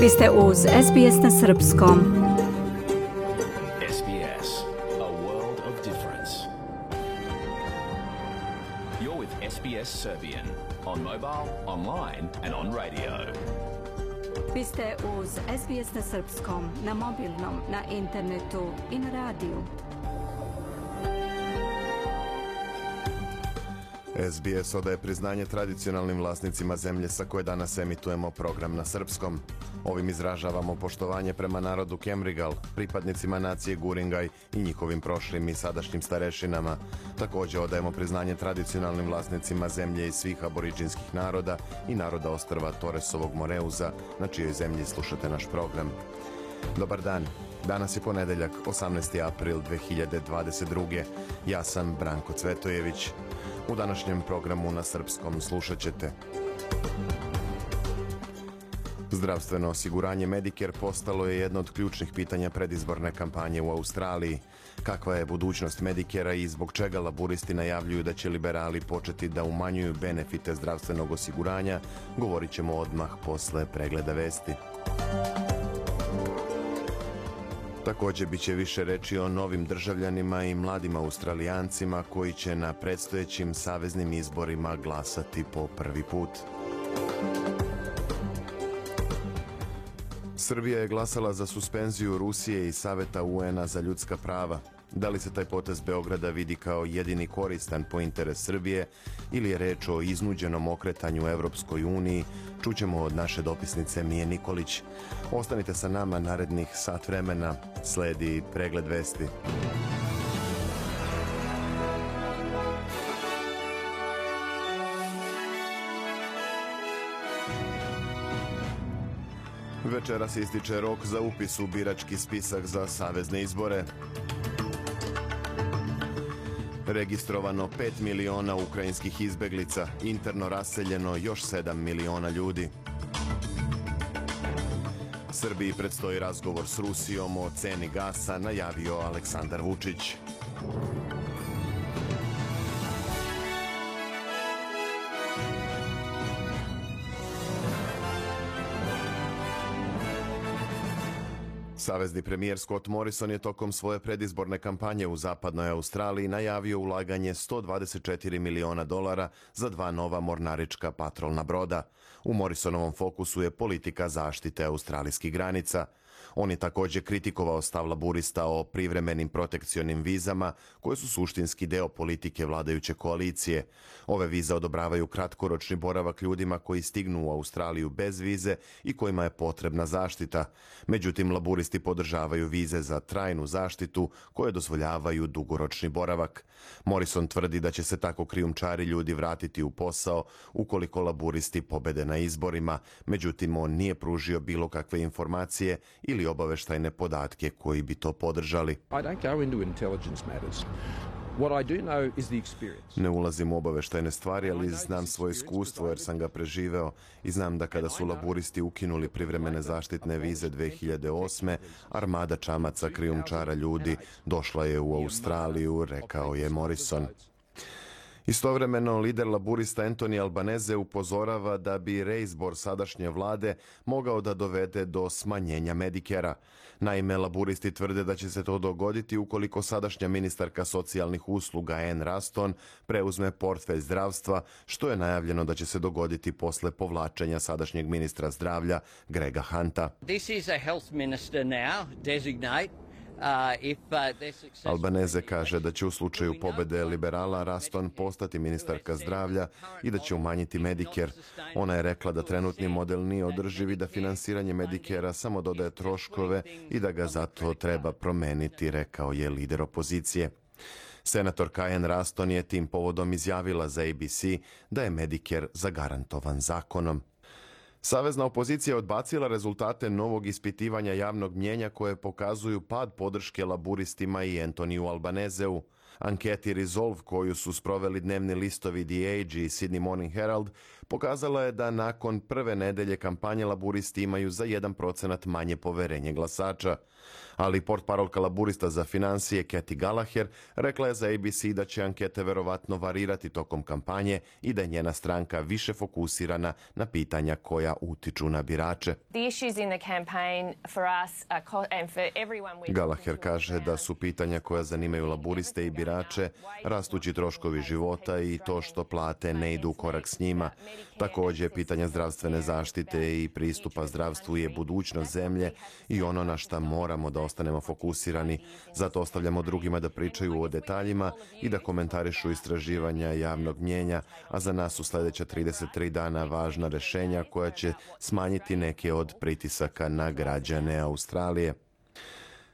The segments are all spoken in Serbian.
Vi ste uz SBS na srpskom. SBS, a world of difference. You're with SBS Serbian on mobile, online and on radio. Vi ste uz SBS na srpskom, na mobilnom, na internetu i na radiju. SBS odaje priznanje tradicionalnim vlasnicima zemlje sa koje danas emitujemo program na srpskom. Ovim izražavamo poštovanje prema narodu Kemrigal, pripadnicima nacije Guringaj i njihovim prošlim i sadašnjim starešinama. Također odajemo priznanje tradicionalnim vlasnicima zemlje i svih aboriđinskih naroda i naroda ostrva Toresovog Moreuza, na čijoj zemlji slušate naš program. Dobar dan. Danas je ponedeljak, 18. april 2022. Ja sam Branko Cvetojević. U današnjem programu na srpskom slušat ćete: zdravstveno osiguranje Medicare postalo je jedno od ključnih pitanja predizborne kampanje u Australiji. Kakva je budućnost Medicarea i zbog čega laburisti najavljuju da će liberali početi da umanjuju benefite zdravstvenog osiguranja, govorit ćemo odmah posle pregleda vesti. Također bit će više reči o novim državljanima i mladim Australijancima koji će na predstojećim saveznim izborima glasati po prvi put. Srbija je glasala za suspenziju Rusije i Saveta UN-a za ljudska prava. Da li se taj potez Beograda vidi kao jedini koristan po interes Srbije ili je reč o iznuđenom okretanju Evropskoj uniji, čućemo od naše dopisnice Mije Nikolić. Ostanite sa nama narednih sat vremena, sledi pregled vesti. Večeras ističe rok za upis u birački spisak za savezne izbore. Registrovano 5 miliona ukrajinskih izbeglica, interno raseljeno još 7 miliona ljudi. Srbiji predstoji razgovor s Rusijom o ceni gasa, najavio Aleksandar Vučić. Savezni premijer Scott Morrison je tokom svoje predizborne kampanje u zapadnoj Australiji najavio ulaganje $124 miliona za 2 nova mornarička patrolna broda. U Morrisonovom fokusu je politika zaštite australijskih granica. On je također kritikovao stav laburista o privremenim protekcionim vizama, koje su suštinski deo politike vladajuće koalicije. Ove vize odobravaju kratkoročni boravak ljudima koji stignu u Australiju bez vize i kojima je potrebna zaštita. Međutim, laburisti podržavaju vize za trajnu zaštitu koje dozvoljavaju dugoročni boravak. Morrison tvrdi da će se tako krijumčari ljudi vratiti u posao ukoliko laburisti pobede na izborima. Međutim, on nije pružio bilo kakve informacije ili obaveštajne podatke koji bi to podržali. Ne ulazim u obaveštajne stvari, ali znam svoje iskustvo jer sam ga preživeo i znam da kada su laburisti ukinuli privremene zaštitne vize 2008. armada čamaca krijumčara ljudi došla je u Australiju, rekao je Morrison. Istovremeno, lider laburista Anthony Albanese upozorava da bi reizbor sadašnje vlade mogao da dovede do smanjenja Medicarea. Naime, laburisti tvrde da će se to dogoditi ukoliko sadašnja ministarka socijalnih usluga Anne Ruston preuzme portfelj zdravstva, što je najavljeno da će se dogoditi posle povlačenja sadašnjeg ministra zdravlja Grega Hunta. This is a health minister now, designate. Albanese kaže da će u slučaju pobede liberala Ruston postati ministarka zdravlja i da će umanjiti Medicare. Ona je rekla da trenutni model nije održiv i da finansiranje Medicarea samo dodaje troškove i da ga zato treba promeniti, rekao je lider opozicije. Senatorka Anne Ruston je tim povodom izjavila za ABC da je Medicare zagarantovan zakonom. Savezna opozicija je odbacila rezultate novog ispitivanja javnog mnjenja koje pokazuju pad podrške laburistima i Antoniju Albaneseu. Anketi Resolve koju su sproveli dnevni listovi The Age i Sydney Morning Herald pokazala je da nakon prve nedelje kampanje laburisti imaju za 1% manje poverenje glasača. Ali portparolka laburista za financije Kathy Gallagher rekla je za ABC da će ankete verovatno varirati tokom kampanje i da je njena stranka više fokusirana na pitanja koja utiču na birače. Gallagher kaže da su pitanja koja zanimaju laburiste i birače rastući troškovi života i to što plate ne idu u korak s njima. Također, pitanja zdravstvene zaštite i pristupa zdravstvu je budućnost zemlje i ono na šta moramo da ostanemo fokusirani. Zato ostavljamo drugima da pričaju o detaljima i da komentarišu istraživanja javnog mnjenja, a za nas su sljedeća 33 dana važna rješenja koja će smanjiti neke od pritisaka na građane Australije.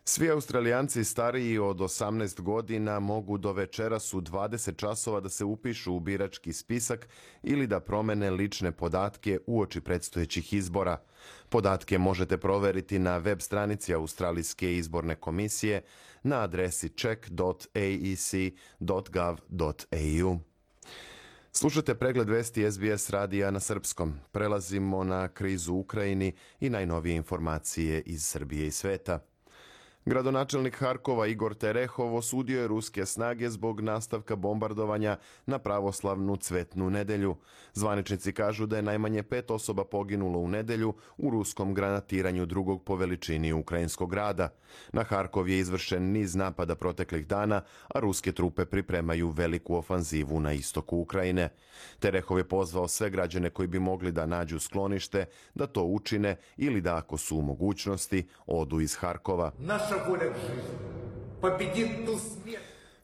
Svi Australijanci stariji od 18 godina mogu do večeras u 20 časova da se upišu u birački spisak ili da promene lične podatke uoči predstojećih izbora. Podatke možete proveriti na web stranici Australijske izborne komisije na adresi check.aec.gov.au. Slušate pregled vesti SBS radija na srpskom. Prelazimo na krizu u Ukrajini i najnovije informacije iz Srbije i sveta. Gradonačelnik Harkova Igor Terehov osudio je ruske snage zbog nastavka bombardovanja na pravoslavnu Cvetnu nedelju. Zvaničnici kažu da je najmanje 5 osoba poginulo u nedelju u ruskom granatiranju drugog po veličini ukrajinskog grada. Na Harkov je izvršen niz napada proteklih dana, a ruske trupe pripremaju veliku ofanzivu na istoku Ukrajine. Terehov je pozvao sve građane koji bi mogli da nađu sklonište, da to učine ili da, ako su u mogućnosti, odu iz Harkova.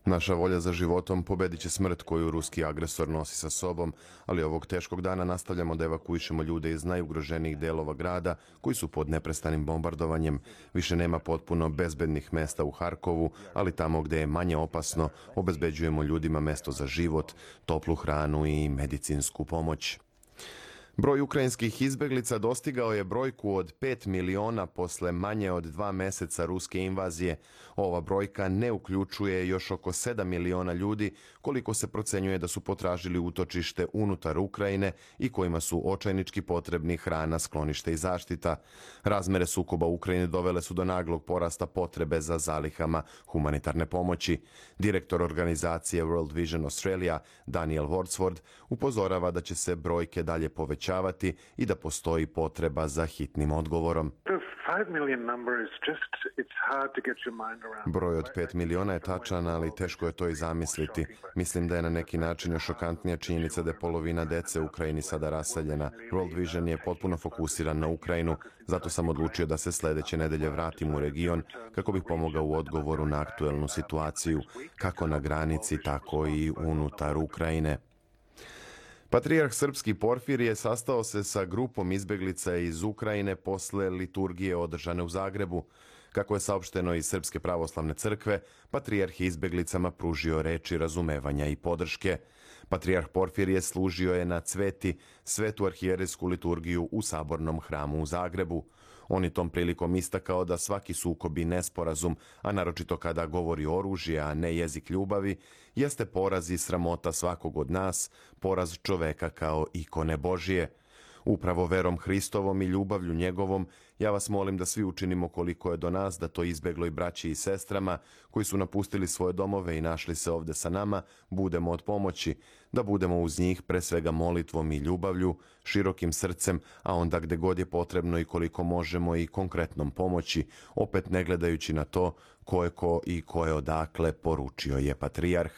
Naša volja za životom pobedit će smrt koju ruski agresor nosi sa sobom, ali ovog teškog dana nastavljamo da evakuišemo ljude iz najugroženijih delova grada koji su pod neprestanim bombardovanjem. Više nema potpuno bezbednih mesta u Harkovu, ali tamo gde je manje opasno obezbeđujemo ljudima mesto za život, toplu hranu i medicinsku pomoć. Broj ukrajinskih izbeglica dostigao je brojku od 5 miliona posle manje od 2 meseca ruske invazije. Ova brojka ne uključuje još oko 7 miliona ljudi, koliko se procenjuje da su potražili utočište unutar Ukrajine i kojima su očajnički potrebni hrana, sklonište i zaštita. Razmere sukoba u Ukrajini dovele su do naglog porasta potrebe za zalihama humanitarne pomoći. Direktor organizacije World Vision Australia, Daniel Wordsworth, upozorava da će se brojke dalje povećavati i da postoji potreba za hitnim odgovorom. Broj od 5 miliona je tačan, ali teško je to i zamisliti. Mislim da je na neki način još šokantnija činjenica da je polovina dece u Ukrajini sada raseljena. World Vision je potpuno fokusiran na Ukrajinu, zato sam odlučio da se sljedeće nedelje vratim u region kako bih pomogao u odgovoru na aktuelnu situaciju, kako na granici, tako i unutar Ukrajine. Patrijarh srpski Porfirije sastao se sa grupom izbeglica iz Ukrajine posle liturgije održane u Zagrebu. Kako je saopšteno iz Srpske pravoslavne crkve, patrijarh je izbeglicama pružio reči razumevanja i podrške. Patrijarh Porfirije služio je na Cveti, svetu arhijerejsku liturgiju u Sabornom hramu u Zagrebu. On je tom prilikom istakao da svaki sukob i nesporazum, a naročito kada govori oružje, a ne jezik ljubavi, jeste poraz i sramota svakog od nas, poraz čoveka kao ikone Božije. Upravo verom Hristovom i ljubavlju njegovom, ja vas molim da svi učinimo koliko je do nas, da to izbegloj braći i sestrama koji su napustili svoje domove i našli se ovde sa nama, budemo od pomoći, da budemo uz njih pre svega molitvom i ljubavlju, širokim srcem, a onda gde god je potrebno i koliko možemo i konkretnom pomoći, opet ne gledajući na to ko je ko i ko je odakle, poručio je patrijarh.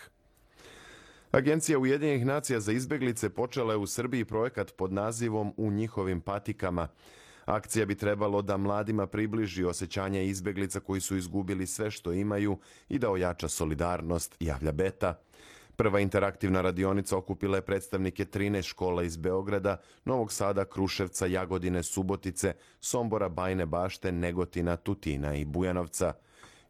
Agencija Ujedinjenih nacija za izbeglice počela je u Srbiji projekat pod nazivom U njihovim patikama. Akcija bi trebalo da mladima približi osjećanje izbeglica koji su izgubili sve što imaju i da ojača solidarnost, javlja Beta. Prva interaktivna radionica okupila je predstavnike 13 škola iz Beograda, Novog Sada, Kruševca, Jagodine, Subotice, Sombora, Bajine Bašte, Negotina, Tutina i Bujanovca.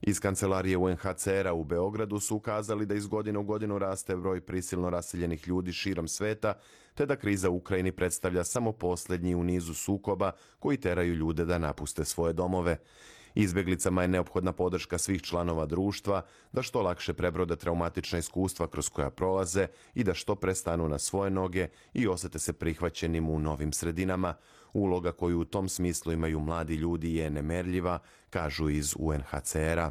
Iz kancelarije UNHCR-a u Beogradu su ukazali da iz godine u godinu raste broj prisilno raseljenih ljudi širom sveta, te da kriza u Ukrajini predstavlja samo posljednji u nizu sukoba koji teraju ljude da napuste svoje domove. Izbjeglicama je neophodna podrška svih članova društva da što lakše prebrode traumatična iskustva kroz koja prolaze i da što prestanu na svoje noge i osjete se prihvaćenim u novim sredinama. Uloga koju u tom smislu imaju mladi ljudi je nemerljiva, kažu iz UNHCR-a.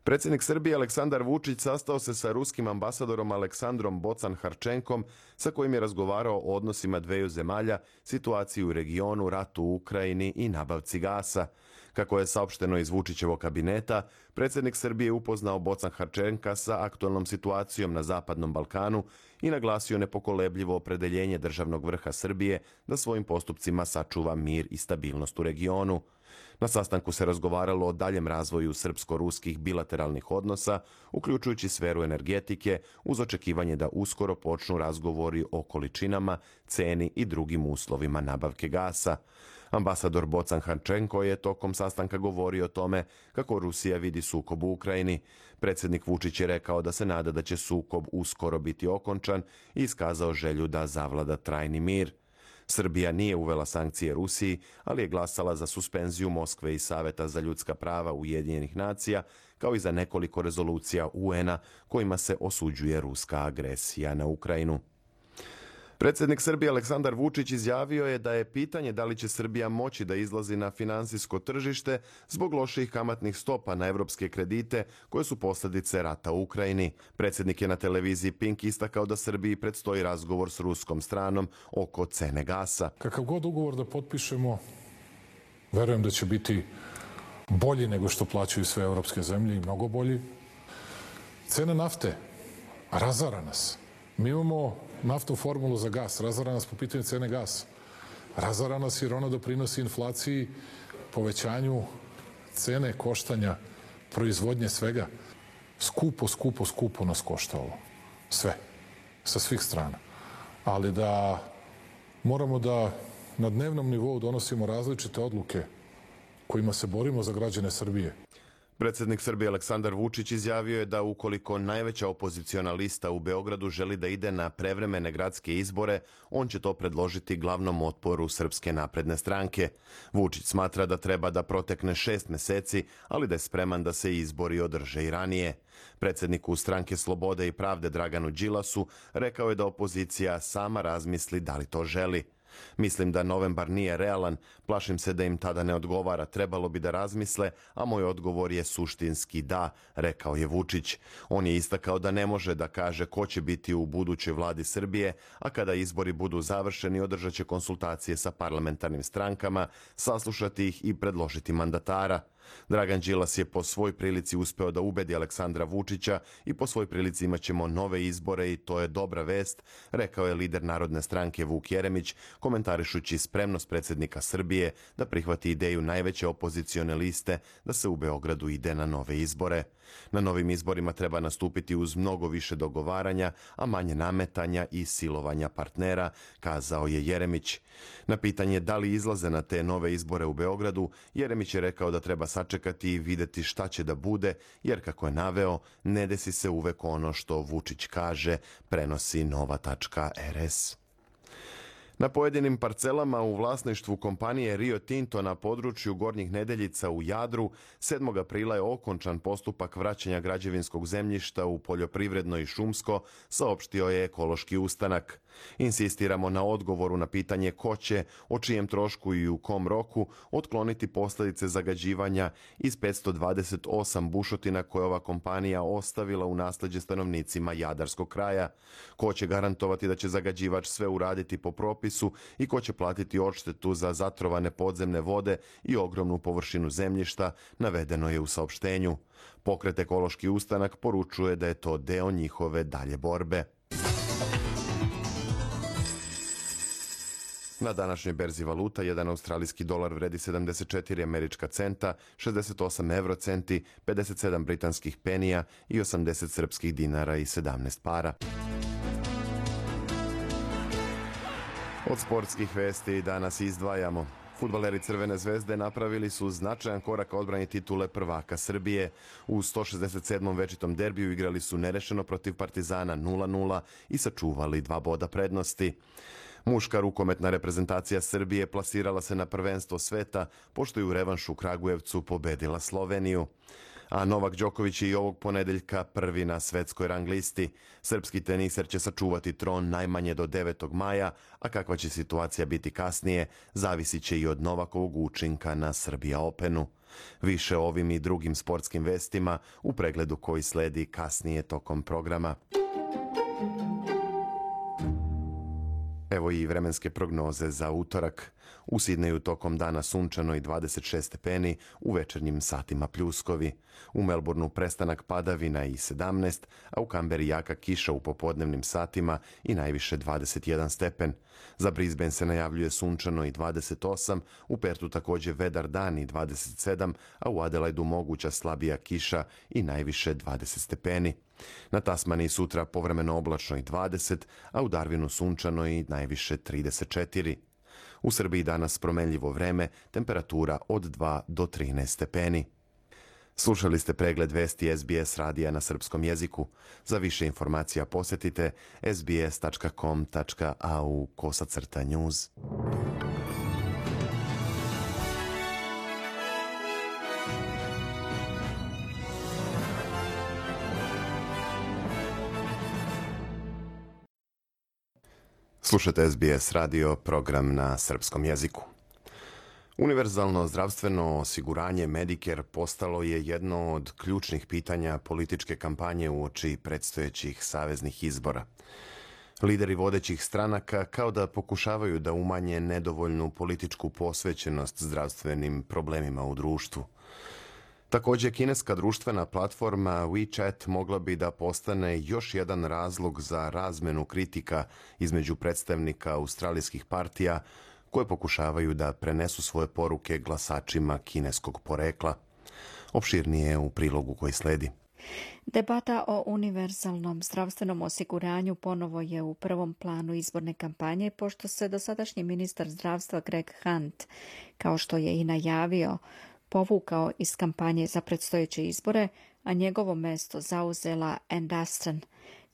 Predsjednik Srbije Aleksandar Vučić sastao se sa ruskim ambasadorom Aleksandrom Bocan-Harčenkom, sa kojim je razgovarao o odnosima dveju zemalja, situaciji u regionu, ratu u Ukrajini i nabavci gasa. Kako je saopšteno iz Vučićevog kabineta, predsjednik Srbije upoznao Bocan-Harčenka sa aktualnom situacijom na Zapadnom Balkanu i naglasio nepokolebljivo opredeljenje državnog vrha Srbije da svojim postupcima sačuva mir i stabilnost u regionu. Na sastanku se razgovaralo o daljem razvoju srpsko-ruskih bilateralnih odnosa, uključujući sferu energetike, uz očekivanje da uskoro počnu razgovori o količinama, ceni i drugim uslovima nabavke gasa. Ambasador Bocan-Harčenko je tokom sastanka govorio o tome kako Rusija vidi sukob u Ukrajini. Predsjednik Vučić je rekao da se nada da će sukob uskoro biti okončan i iskazao želju da zavlada trajni mir. Srbija nije uvela sankcije Rusiji, ali je glasala za suspenziju Moskve i Saveta za ljudska prava Ujedinjenih nacija, kao i za nekoliko rezolucija UN-a kojima se osuđuje ruska agresija na Ukrajinu. Predsjednik Srbije Aleksandar Vučić izjavio je da je pitanje da li će Srbija moći da izlazi na finansijsko tržište zbog loših kamatnih stopa na evropske kredite koje su posljedice rata u Ukrajini. Predsjednik je na televiziji Pink istakao da Srbiji predstoji razgovor s ruskom stranom oko cene gasa. Kakav god ugovor da potpišemo, verujem da će biti bolji nego što plaćaju sve evropske zemlje i mnogo bolji. Cena nafte razara nas. Mi imamo naftnu formulu za gas, razara nas po pitanju cene gasa. Razara nas jer ona doprinosi inflaciji, povećanju cene koštanja, proizvodnje svega. Skupo nas košta ovo. Sve. Sa svih strana. Ali da moramo da na dnevnom nivou donosimo različite odluke kojima se borimo za građane Srbije. Predsjednik Srbije Aleksandar Vučić izjavio je da ukoliko najveća opoziciona lista u Beogradu želi da ide na prevremene gradske izbore, on će to predložiti glavnom otporu Srpske napredne stranke. Vučić smatra da treba da protekne 6 meseci, ali da je spreman da se izbori održe i ranije. Predsjedniku Stranke slobode i pravde Draganu Đilasu rekao je da opozicija sama razmisli da li to želi. Mislim da novembar nije realan, plašim se da im tada ne odgovara, trebalo bi da razmisle, a moj odgovor je suštinski da, rekao je Vučić. On je istakao da ne može da kaže ko će biti u budućoj vladi Srbije, a kada izbori budu završeni održat će konsultacije sa parlamentarnim strankama, saslušati ih i predložiti mandatara. Dragan Đilas je po svoj prilici uspeo da ubedi Aleksandra Vučića i po svoj prilici imat ćemo nove izbore i to je dobra vest, rekao je lider Narodne stranke Vuk Jeremić, komentarišući spremnost predsjednika Srbije da prihvati ideju najveće opozicione liste da se u Beogradu ide na nove izbore. Na novim izborima treba nastupiti uz mnogo više dogovaranja, a manje nametanja i silovanja partnera, kazao je Jeremić. Na pitanje da li izlaze na te nove izbore u Beogradu, Jeremić je rekao da treba sačekati i videti šta će da bude, jer kako je naveo, ne desi se uvek ono što Vučić kaže, prenosi Nova.rs. Na pojedinim parcelama u vlasništvu kompanije Rio Tinto na području Gornjih Nedeljica u Jadru 7. aprila je okončan postupak vraćanja građevinskog zemljišta u poljoprivredno i šumsko, saopštio je Ekološki ustanak. Insistiramo na odgovoru na pitanje ko će, o čijem trošku i u kom roku otkloniti posljedice zagađivanja iz 528 bušotina koje ova kompanija ostavila u nasleđe stanovnicima Jadarskog kraja. Ko će garantovati da će zagađivač sve uraditi po propisu i ko će platiti odštetu za zatrovane podzemne vode i ogromnu površinu zemljišta, navedeno je u saopštenju. Pokret Ekološki ustanak poručuje da je to deo njihove dalje borbe. Na današnjoj berzi valuta, jedan australijski dolar vredi 74 američka centa, 68 eurocenti, 57 britanskih penija i 80 srpskih dinara i 17 para. Od sportskih vesti danas izdvajamo. Fudbaleri Crvene zvezde napravili su značajan korak ka odbrani titule prvaka Srbije. U 167. večitom derbiju igrali su nerešeno protiv Partizana 0-0 i sačuvali 2 boda prednosti. Muška rukometna reprezentacija Srbije plasirala se na prvenstvo sveta, pošto je u revanšu u Kragujevcu pobedila Sloveniju. A Novak Đoković je i ovog ponedeljka prvi na svetskoj rang listi. Srpski teniser će sačuvati tron najmanje do 9. maja, a kakva će situacija biti kasnije, zavisit će i od Novakovog učinka na Srbija Openu. Više o ovim i drugim sportskim vestima u pregledu koji sledi kasnije tokom programa. Evo i vremenske prognoze za utorak. U Sidneju tokom dana sunčano i 26 stepeni, u večernjim satima pljuskovi. U Melbourneu prestanak padavina i 17, a u Kamberi jaka kiša u popodnevnim satima i najviše 21 stepen. Za Brisbane se najavljuje sunčano i 28, u Pertu također vedar dan i 27, a u Adelaidu moguća slabija kiša i najviše 20 stepeni. Na Tasmaniji sutra povremeno oblačno i 20, a u Darwinu sunčano i najviše 34. U Srbiji danas promenljivo vreme, temperatura od 2 do 13 stepeni. Slušali ste pregled vesti SBS radija na srpskom jeziku. Za više informacija posjetite sbs.com.au/news. Slušate SBS radio, program na srpskom jeziku. Univerzalno zdravstveno osiguranje Medicare postalo je jedno od ključnih pitanja političke kampanje uoči predstojećih saveznih izbora. Lideri vodećih stranaka kao da pokušavaju da umanje nedovoljnu političku posvećenost zdravstvenim problemima u društvu. Također, kineska društvena platforma WeChat mogla bi da postane još jedan razlog za razmenu kritika između predstavnika australijskih partija koje pokušavaju da prenesu svoje poruke glasačima kineskog porekla. Opširnije u prilogu koji sledi. Debata o univerzalnom zdravstvenom osiguranju ponovo je u prvom planu izborne kampanje, pošto se dosadašnji ministar zdravstva Greg Hunt, kao što je i najavio, povukao iz kampanje za predstojeće izbore, a njegovo mesto zauzela Ann Dustin,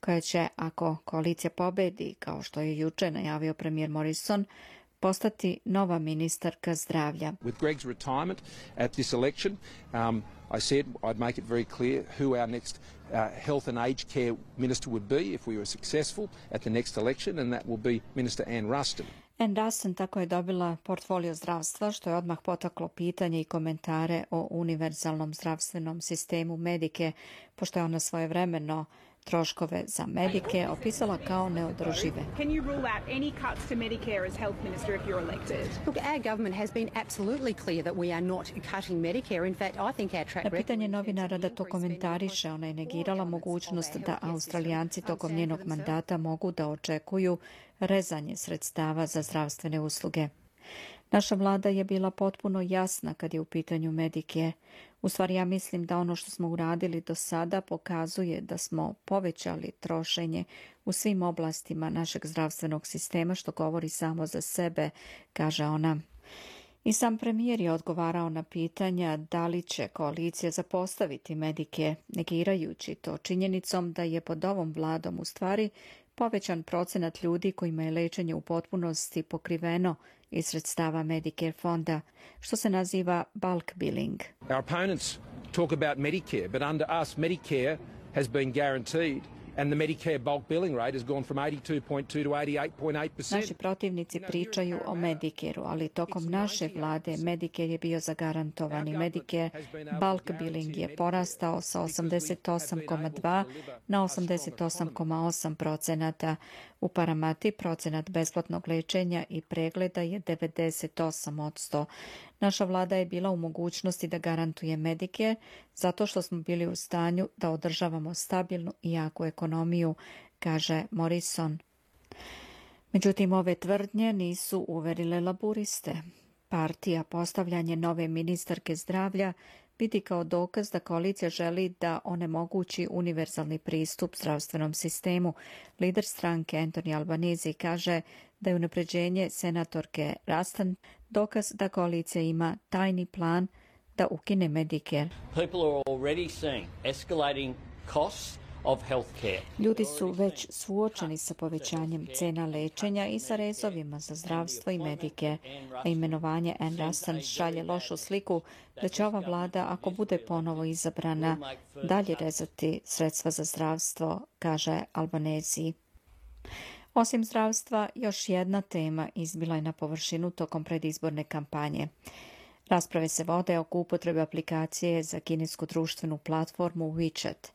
koja će, ako koalicija pobedi, kao što je juče najavio premijer Morrison, postati nova ministarka zdravlja. With Greg's retirement at this election, I said I'd make it very clear who our next health and aged care minister would be if we were successful at the next election, and that will be Minister Ann Ruston. Ann Dustin tako je dobila portfolio zdravstva, što je odmah potaklo pitanje i komentare o univerzalnom zdravstvenom sistemu Medicare, pošto je ona svojevremeno troškove za Medicare opisala kao neodržive. Can you rule out any cuts to Medicare as health minister if you're elected? Look, our government has been absolutely clear that we are not cutting Medicare. In fact, I think our track record... Na pitanje novinara da to komentariše, ona je negirala mogućnost da Australijanci tokom njenog mandata mogu da očekuju rezanje sredstava za zdravstvene usluge. Naša vlada je bila potpuno jasna kad je u pitanju Medicare. U stvari, ja mislim da ono što smo uradili do sada pokazuje da smo povećali trošenje u svim oblastima našeg zdravstvenog sistema, što govori samo za sebe, kaže ona. I sam premijer je odgovarao na pitanja da li će koalicija zapostaviti Medicare, negirajući to činjenicom da je pod ovom vladom u stvari povećan procenat ljudi kojima je lečenje u potpunosti pokriveno iz sredstava Medicare fonda, što se naziva bulk billing. Our opponents talk about Medicare, but under us Medicare has been guaranteed and the Medicare bulk billing rate has gone from 82.2 to 88.8%. Naši protivnici pričaju o Medicare-u, ali tokom naše vlade Medicare je bio zagarantovani. Medicare bulk billing je porastao sa 88,2 na 88,8%. U Paramati procenat besplatnog lečenja i pregleda je 98%. Naša vlada je bila u mogućnosti da garantuje Medicare zato što smo bili u stanju da održavamo stabilnu i jaku ekonomiju, kaže Morrison. Međutim, ove tvrdnje nisu uverile laburiste. Partija postavljanje nove ministarke zdravlja vidi kao dokaz da koalicija želi da onemogući univerzalni pristup zdravstvenom sistemu. Lider stranke Anthony Albanese kaže da je unapređenje senatorke Ruston dokaz da koalicija ima tajni plan da ukine Medicare. People are already seeing escalating costs of healthcare. Ljudi su već suočeni sa povećanjem cena lečenja i sa rezovima za zdravstvo i medike, a imenovanje Anne Ruston šalje lošu sliku da će ova vlada, ako bude ponovo izabrana, dalje rezati sredstva za zdravstvo, kaže Albanese. Osim zdravstva, još jedna tema izbila je na površinu tokom predizborne kampanje. Rasprave se vode oko upotrebe aplikacije za kinesku društvenu platformu WeChat.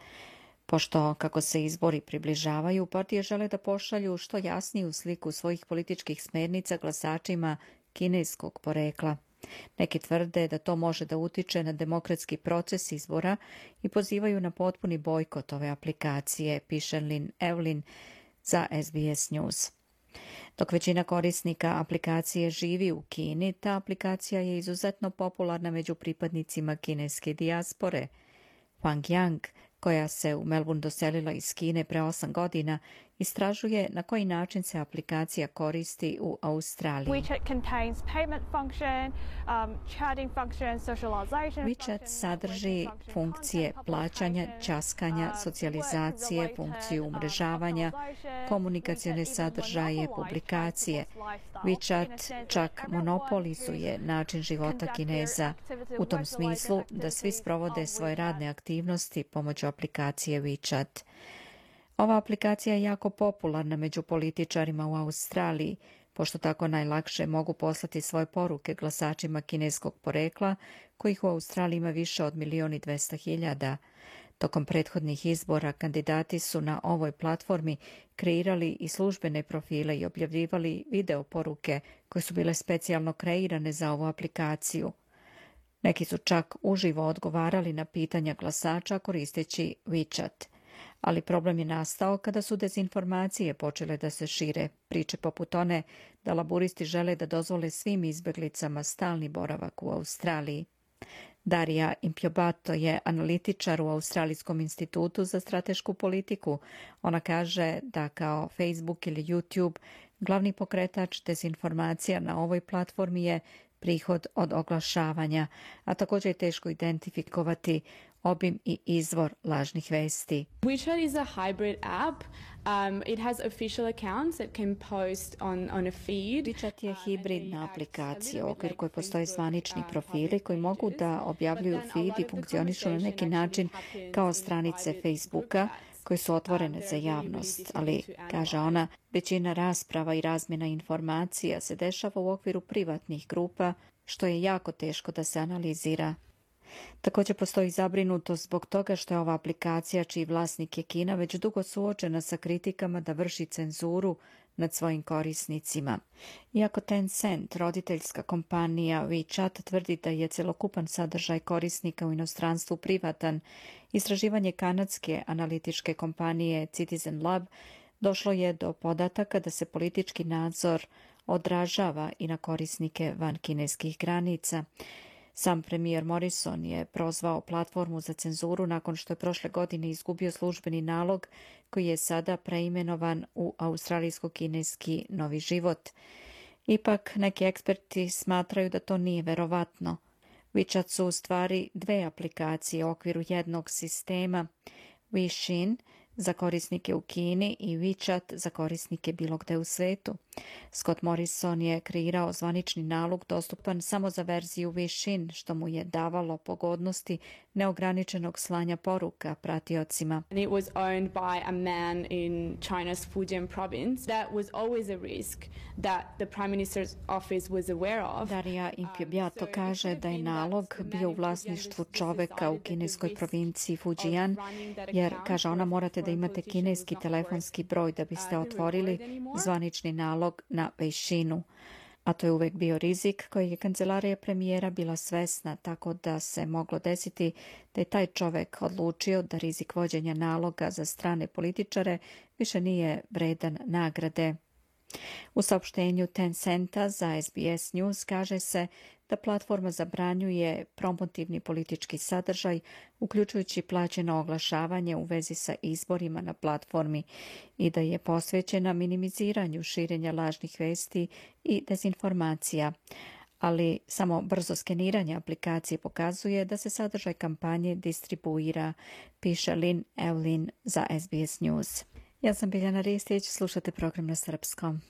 Pošto, kako se izbori približavaju, partije žele da pošalju što jasniju sliku svojih političkih smernica glasačima kineskog porekla. Neki tvrde da to može da utiče na demokratski proces izbora i pozivaju na potpuni bojkot ove aplikacije, piše Lynn Evelyn za SBS News. Dok većina korisnika aplikacije živi u Kini, ta aplikacija je izuzetno popularna među pripadnicima kineske dijaspore. Wang Yang, koja se u Melbourne doselila iz Kine pre 8 godina, istražuje na koji način se aplikacija koristi u Australiji. WeChat sadrži funkcije plaćanja, ćaskanja, socijalizacije, funkciju umrežavanja, komunikacione sadržaje, publikacije. WeChat čak monopolizuje način života Kineza u tom smislu da svi sprovode svoje radne aktivnosti pomoću aplikacije WeChat. Ova aplikacija je jako popularna među političarima u Australiji, pošto tako najlakše mogu poslati svoje poruke glasačima kineskog porekla, kojih u Australiji ima više od 1.200.000. Tokom prethodnih izbora kandidati su na ovoj platformi kreirali i službene profile i objavljivali video poruke koje su bile specijalno kreirane za ovu aplikaciju. Neki su čak uživo odgovarali na pitanja glasača koristeći WeChat. Ali problem je nastao kada su dezinformacije počele da se šire, priče poput one da laburisti žele da dozvole svim izbeglicama stalni boravak u Australiji. Darija Impiobato je analitičar u Australijskom institutu za stratešku politiku. Ona kaže da kao Facebook ili YouTube glavni pokretač dezinformacija na ovoj platformi je prihod od oglašavanja, a također je teško identifikovati obim i izvor lažnih vesti. WeChat is a hybrid app. It has official accounts that can post on a feed. WeChat je hibridna aplikacija u okviru koje postoje zvanični profili koji mogu da objavljuju feed i funkcionišu na neki način kao stranice Facebooka koje su otvorene za javnost, ali, kaže ona, većina rasprava i razmjena informacija se dešava u okviru privatnih grupa, što je jako teško da se analizira. Također postoji zabrinutost zbog toga što je ova aplikacija, čiji vlasnik je Kina, već dugo suočena sa kritikama da vrši cenzuru nad svojim korisnicima. Iako Tencent, roditeljska kompanija WeChat, tvrdi da je celokupan sadržaj korisnika u inostranstvu privatan, istraživanje kanadske analitičke kompanije Citizen Lab došlo je do podataka da se politički nadzor odražava i na korisnike van kineskih granica. Sam premijer Morrison je prozvao platformu za cenzuru nakon što je prošle godine izgubio službeni nalog koji je sada preimenovan u australijsko-kineski Novi život. Ipak neki eksperti smatraju da to nije verovatno. WeChat su u stvari dve aplikacije u okviru jednog sistema, Weixin za korisnike u Kini i WeChat za korisnike bilo gde u svetu. Scott Morrison je kreirao zvanični nalog dostupan samo za verziju Weixin, što mu je davalo pogodnosti neograničenog slanja poruka pratiocima. It was owned by a man in China's Fujian province. That was always a risk that the Prime Minister's office was aware of. Darija Impiobato kaže da je nalog bio u vlasništvu čoveka u kineskoj provinciji Fujian, jer, kaže ona, morate da imate kineski telefonski broj da biste otvorili zvanični nalog na Weixinu. A to je uvek bio rizik koji je kancelarija premijera bila svesna, tako da se moglo desiti da je taj čovek odlučio da rizik vođenja naloga za strane političare više nije vredan nagrade. U saopštenju Tencenta za SBS News kaže se da platforma zabranjuje promotivni politički sadržaj, uključujući plaćeno oglašavanje u vezi sa izborima na platformi i da je posvećena minimiziranju širenja lažnih vesti i dezinformacija. ali samo brzo skeniranje aplikacije pokazuje da se sadržaj kampanje distribuira, piše Lynn Evelyn za SBS News. Ja sam Biljana Ristić, slušate program na srpskom.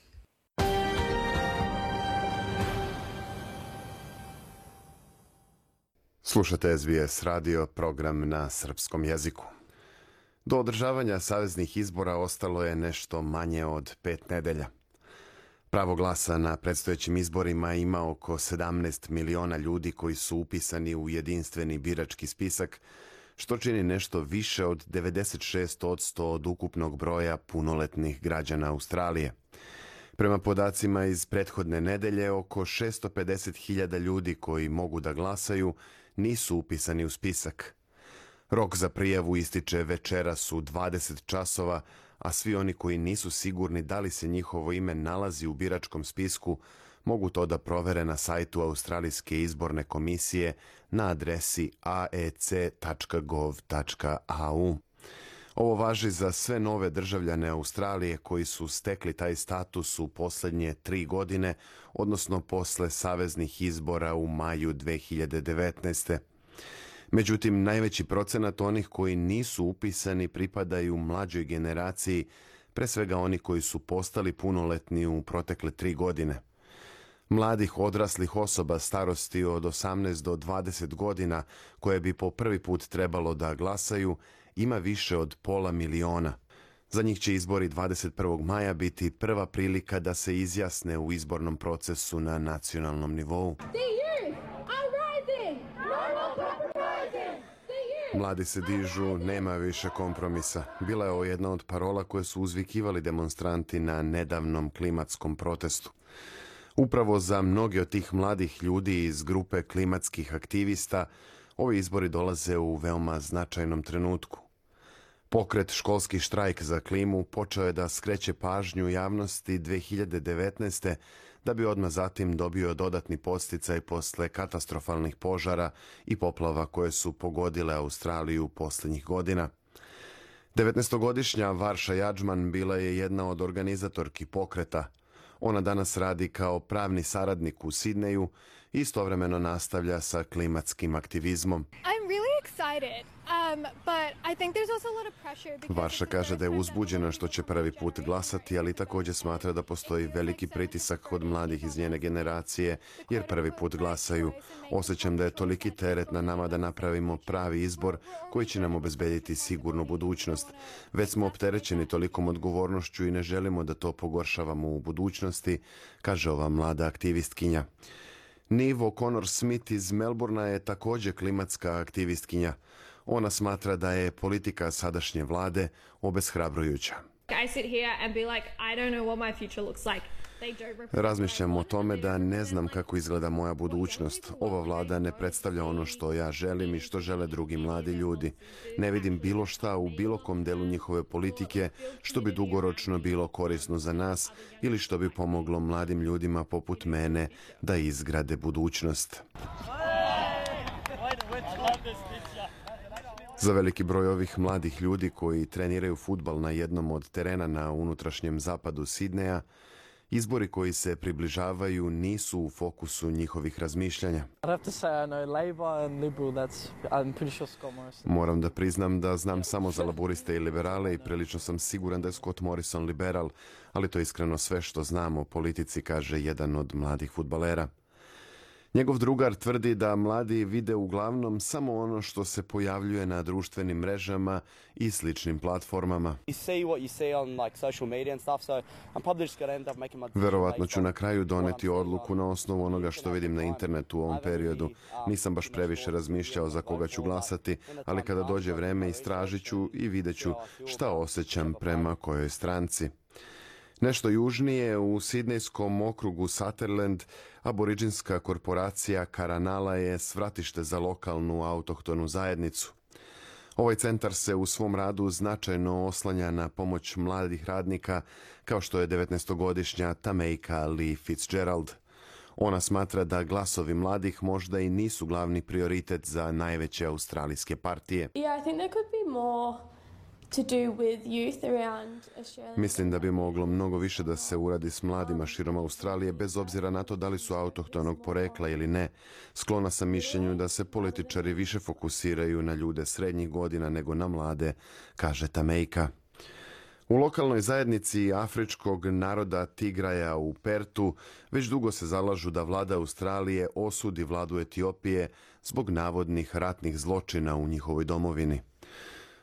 Slušate SBS radio, program na srpskom jeziku. Do održavanja saveznih izbora ostalo je nešto manje od 5 nedelja. Pravo glasa na predstojećim izborima ima oko 17 miliona ljudi koji su upisani u jedinstveni birački spisak, što čini nešto više od 96% od ukupnog broja punoletnih građana Australije. Prema podacima iz prethodne nedelje, oko 650.000 ljudi koji mogu da glasaju nisu upisani u spisak. Rok za prijavu ističe večeras u 20 časova, a svi oni koji nisu sigurni da li se njihovo ime nalazi u biračkom spisku mogu to da provere na sajtu Australijske izborne komisije na adresi aec.gov.au. Ovo važi za sve nove državljane Australije koji su stekli taj status u posljednje 3 godine, odnosno posle saveznih izbora u maju 2019. Međutim, najveći procenat onih koji nisu upisani pripadaju mlađoj generaciji, pre svega oni koji su postali punoletni u protekle 3 godine. Mladih odraslih osoba starosti od 18 do 20 godina, koje bi po prvi put trebalo da glasaju, ima više od 500.000. Za njih će izbori 21. maja biti prva prilika da se izjasne u izbornom procesu na nacionalnom nivou. Mladi se dižu, nema više kompromisa. Bila je ovo jedna od parola koje su uzvikivali demonstranti na nedavnom klimatskom protestu. Upravo za mnoge od tih mladih ljudi iz grupe klimatskih aktivista, ovi izbori dolaze u veoma značajnom trenutku. Pokret Školski štrajk za klimu počeo je da skreće pažnju javnosti 2019. da bi odmah zatim dobio dodatni podsticaj posle katastrofalnih požara i poplava koje su pogodile Australiju posljednjih godina. 19-godišnja Varša Jadžman bila je jedna od organizatorki pokreta. Ona danas radi kao pravni saradnik u Sidneju i istovremeno nastavlja sa klimatskim aktivizmom. Varša kaže da je uzbuđena što će prvi put glasati, ali također smatra da postoji veliki pritisak kod mladih iz njene generacije, jer prvi put glasaju. Osjećam da je toliki teret na nama da napravimo pravi izbor koji će nam obezbediti sigurnu budućnost. Već smo opterećeni tolikom odgovornošću i ne želimo da to pogoršavamo u budućnosti, kaže ova mlada aktivistkinja. Niv O'Connor Smith iz Melbournea je također klimatska aktivistkinja. Ona smatra da je politika sadašnje vlade obeshrabrujuća. Razmišljam o tome da ne znam kako izgleda moja budućnost. Ova vlada ne predstavlja ono što ja želim i što žele drugi mladi ljudi. Ne vidim bilo šta u bilo kom delu njihove politike što bi dugoročno bilo korisno za nas ili što bi pomoglo mladim ljudima poput mene da izgrade budućnost. Za veliki broj ovih mladih ljudi koji treniraju fudbal na jednom od terena na unutrašnjem zapadu Sidneja, izbori koji se približavaju nisu u fokusu njihovih razmišljanja. Moram da priznam da znam samo za laburiste i liberale i prilično sam siguran da je Scott Morrison liberal, ali to je iskreno sve što znam o politici, kaže jedan od mladih fudbalera. Njegov drugar tvrdi da mladi vide uglavnom samo ono što se pojavljuje na društvenim mrežama i sličnim platformama. Verovatno ću na kraju doneti odluku na osnovu onoga što vidim na internetu u ovom periodu. Nisam baš previše razmišljao za koga ću glasati, ali kada dođe vreme istražit ću i vidjet ću šta osjećam prema kojoj stranci. Nešto južnije, u sidnejskom okrugu Sutherland, aboriđinska korporacija Karanala je svratište za lokalnu autohtonu zajednicu. Ovaj centar se u svom radu značajno oslanja na pomoć mladih radnika, kao što je 19-godišnja Tameika Lee Fitzgerald. Ona smatra da glasovi mladih možda i nisu glavni prioritet za najveće australijske partije. Mislim da bi moglo mnogo više da se uradi s mladima širom Australije, bez obzira na to da li su autohtonog porekla ili ne. Sklona sam mišljenju da se političari više fokusiraju na ljude srednjih godina nego na mlade, kaže Tamejka. U lokalnoj zajednici afričkog naroda Tigraja u Pertu već dugo se zalažu da vlada Australije osudi vladu Etiopije zbog navodnih ratnih zločina u njihovoj domovini.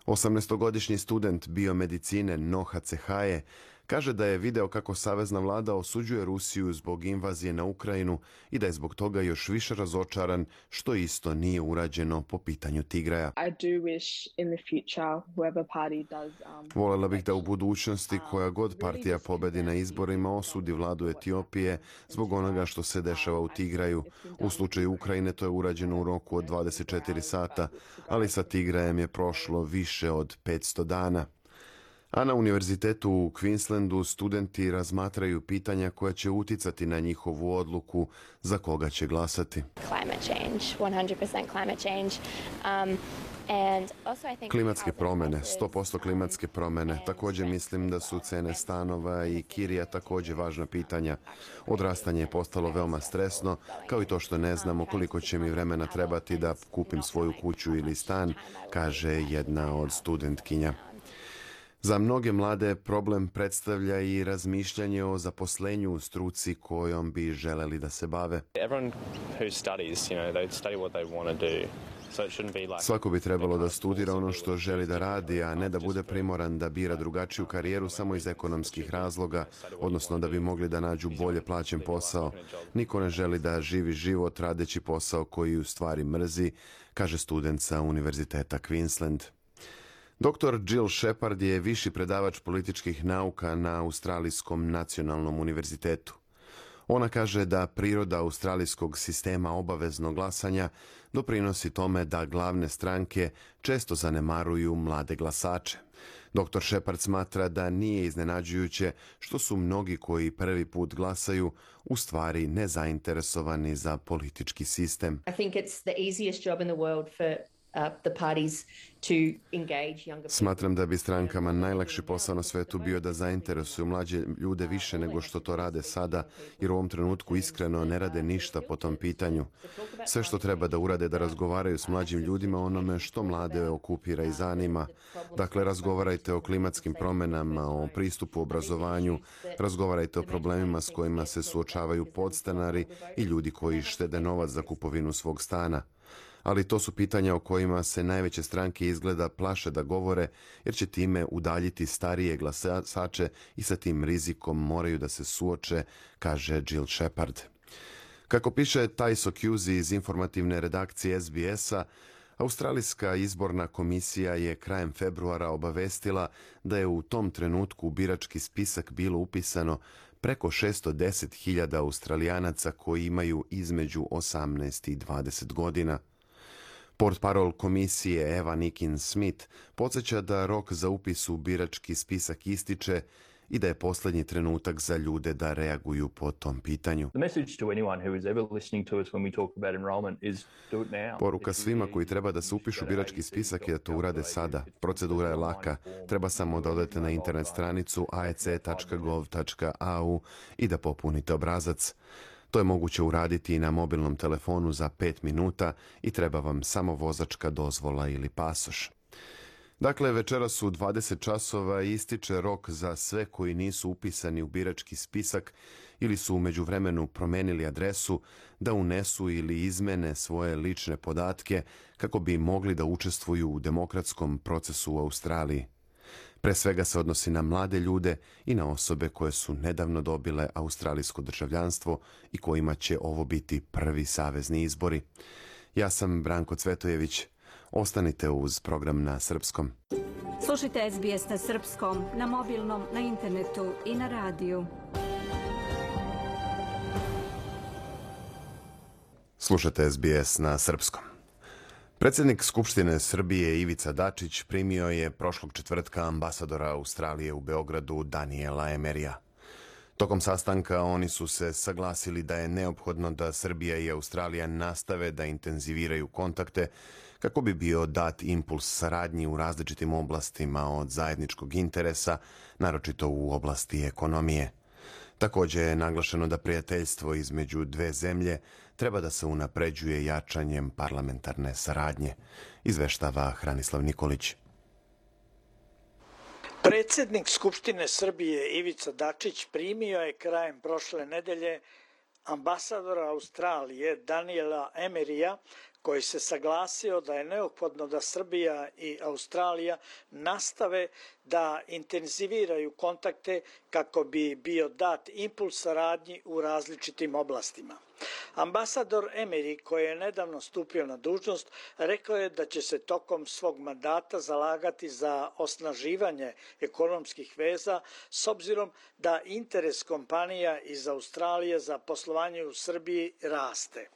18-godišnji student biomedicine Noha Cehaje kaže da je video kako savezna vlada osuđuje Rusiju zbog invazije na Ukrajinu i da je zbog toga još više razočaran što isto nije urađeno po pitanju Tigraja. Voljela bih da u budućnosti koja god partija pobedi na izborima osudi vladu Etiopije zbog onoga što se dešava u Tigraju. U slučaju Ukrajine to je urađeno u roku od 24 sata, ali sa Tigrajem je prošlo više od 500 dana. A na univerzitetu u Queenslandu studenti razmatraju pitanja koja će uticati na njihovu odluku za koga će glasati. Klimatske promjene, 100% klimatske promjene. Također mislim da su cene stanova i kirija također važna pitanja. Odrastanje je postalo veoma stresno, kao i to što ne znamo koliko će mi vremena trebati da kupim svoju kuću ili stan, kaže jedna od studentkinja. Za mnoge mlade problem predstavlja i razmišljanje o zaposlenju u struci kojom bi želeli da se bave. Svako bi trebalo da studira ono što želi da radi, a ne da bude primoran da bira drugačiju karijeru samo iz ekonomskih razloga, odnosno da bi mogli da nađu bolje plaćen posao. Niko ne želi da živi život radeći posao koji u stvari mrzi, kaže student sa Univerziteta Queensland. Dr. Jill Shepard je viši predavač političkih nauka na Australijskom nacionalnom univerzitetu. Ona kaže da priroda australijskog sistema obaveznog glasanja doprinosi tome da glavne stranke često zanemaruju mlade glasače. Dr. Shepard smatra da nije iznenađujuće što su mnogi koji prvi put glasaju u stvari nezainteresovani za politički sistem. Smatram da bi strankama najlakši posao na svetu bio da zainteresuju mlađe ljude više nego što to rade sada, jer u ovom trenutku iskreno ne rade ništa po tom pitanju. Sve što treba da urade da razgovaraju s mlađim ljudima o onome što mlade okupira i zanima. Dakle, razgovarajte o klimatskim promjenama, o pristupu obrazovanju, razgovarajte o problemima s kojima se suočavaju podstanari i ljudi koji štede novac za kupovinu svog stana. Ali to su pitanja o kojima se najveće stranke izgleda plaše da govore, jer će time udaljiti starije glasače i sa tim rizikom moraju da se suoče, kaže Jill Shepard. Kako piše Taiso Cusi iz informativne redakcije SBS-a, Australijska izborna komisija je krajem februara obavestila da je u tom trenutku u birački spisak bilo upisano preko 610.000 Australijanaca koji imaju između 18 i 20 godina. Portparol komisije Eva Nikin-Smith podsjeća da rok za upis u birački spisak ističe i da je posljednji trenutak za ljude da reaguju po tom pitanju. Poruka svima koji treba da se upišu u birački spisak je da to urade sada. Procedura je laka. Treba samo da odete na internet stranicu aec.gov.au i da popunite obrazac. To je moguće uraditi i na mobilnom telefonu za 5 minuta i treba vam samo vozačka dozvola ili pasoš. Dakle, večeras u 20 časova ističe rok za sve koji nisu upisani u birački spisak ili su u međuvremenu promenili adresu da unesu ili izmene svoje lične podatke kako bi mogli da učestvuju u demokratskom procesu u Australiji. Pre svega se odnosi na mlade ljude i na osobe koje su nedavno dobile australijsko državljanstvo i kojima će ovo biti prvi savezni izbori. Ja sam Branko Cvetojević. Ostanite uz program na srpskom. Slušajte SBS na srpskom, na mobilnom, na internetu i na radiju. Slušajte SBS na srpskom. Predsjednik Skupštine Srbije Ivica Dačić primio je prošlog četvrtka ambasadora Australije u Beogradu Daniela Emerija. Tokom sastanka oni su se saglasili da je neophodno da Srbija i Australija nastave da intenziviraju kontakte kako bi bio dat impuls saradnji u različitim oblastima od zajedničkog interesa, naročito u oblasti ekonomije. Takođe je naglašeno da prijateljstvo između dve zemlje treba da se unapređuje jačanjem parlamentarne saradnje, izveštava Hranislav Nikolić. Predsjednik Skupštine Srbije Ivica Dačić primio je krajem prošle nedelje ambasadora Australije Daniela Emeryja, koji se saglasio da je neophodno da Srbija i Australija nastave da intenziviraju kontakte kako bi bio dat impuls saradnji u različitim oblastima. Ambasador Emery, koji je nedavno stupio na dužnost, rekao je da će se tokom svog mandata zalagati za osnaživanje ekonomskih veza s obzirom da interes kompanija iz Australije za poslovanje u Srbiji raste.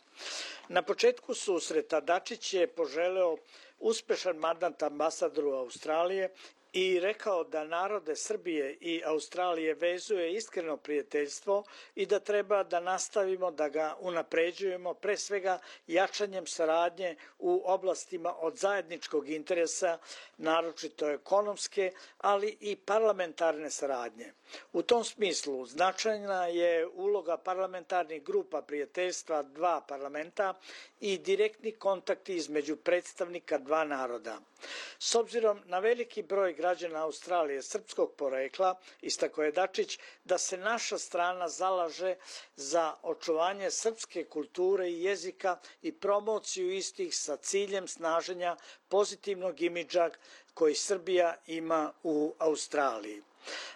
Na početku susreta Dačić je poželeo uspešan mandat ambasadoru Australije i rekao da narode Srbije i Australije vezuje iskreno prijateljstvo i da treba da nastavimo da ga unapređujemo, pre svega jačanjem saradnje u oblastima od zajedničkog interesa, naročito ekonomske, ali i parlamentarne saradnje. U tom smislu značajna je uloga parlamentarnih grupa prijateljstva dva parlamenta i direktni kontakti između predstavnika dva naroda. S obzirom na veliki broj građana Australije srpskog porekla, istakao je Dačić da se naša strana zalaže za očuvanje srpske kulture i jezika i promociju istih sa ciljem snaženja pozitivnog imidža koji Srbija ima u Australiji.